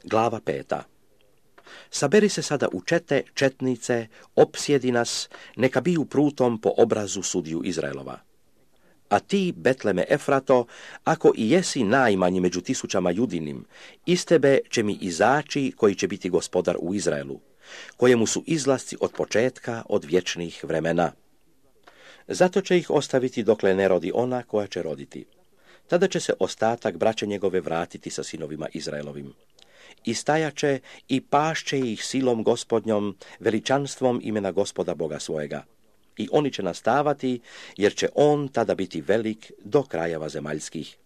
Glava 5. Saberi se sada u čete, četnice, opsjedi nas, neka biju prutom po obrazu sudiju Izraelova. A ti, Betleme Efrato, ako i jesi najmanji među tisućama judinim, iz tebe će mi izaći koji će biti gospodar u Izraelu, kojemu su izlasci od početka, od vječnih vremena. Zato će ih ostaviti dokle ne rodi ona koja će roditi. Tada će se ostatak braće njegove vratiti sa sinovima Izraelovim. I stajaće i pašće ih silom gospodnjom, veličanstvom imena Gospoda Boga svojega. I oni će nastavati, jer će on tada biti velik do krajeva zemaljskih.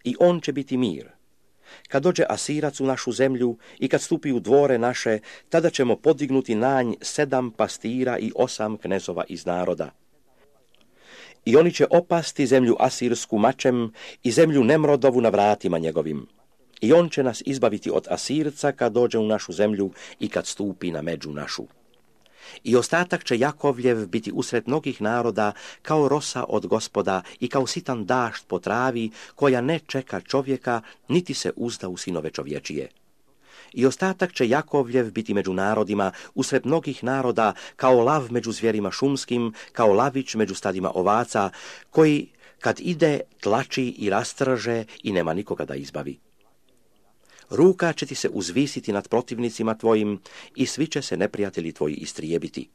I on će biti mir. Kad dođe Asirac u našu zemlju i kad stupi u dvore naše, tada ćemo podignuti na nj 7 pastira i 8 knezova iz naroda. I oni će opasti zemlju asirsku mačem i zemlju Nemrodovu na vratima njegovim. I on će nas izbaviti od Asirca kad dođe u našu zemlju i kad stupi na među našu. I ostatak će Jakovljev biti usred mnogih naroda kao rosa od Gospoda i kao sitan dašt po travi koja ne čeka čovjeka niti se uzda u sinove čovječije. I ostatak će Jakovljev biti među narodima usred mnogih naroda kao lav među zvjerima šumskim, kao lavić među stadima ovaca, koji kad ide tlači i rastrže i nema nikoga da izbavi. Ruka će ti se uzvisiti nad protivnicima tvojim i svi će se neprijatelji tvoji istrijebiti.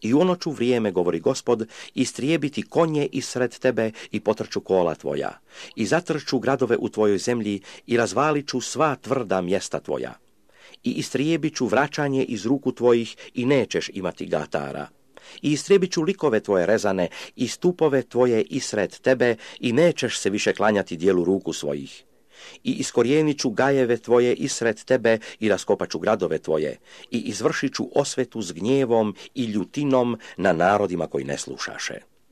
I u ono ću vrijeme, govori Gospod, istrijebiti konje isred tebe i potrču kola tvoja. I zatrču gradove u tvojoj zemlji i razvalit ću sva tvrda mjesta tvoja. I istrijebit ću vraćanje iz ruku tvojih i nećeš imati gatara. I istrijebit ću likove tvoje rezane i stupove tvoje isred tebe i nećeš se više klanjati dijelu ruku svojih. I iskorijenit ću gajeve tvoje isred tebe i raskopat ću gradove tvoje i izvršit ću osvetu s gnjevom i ljutinom na narodima koji ne slušaše.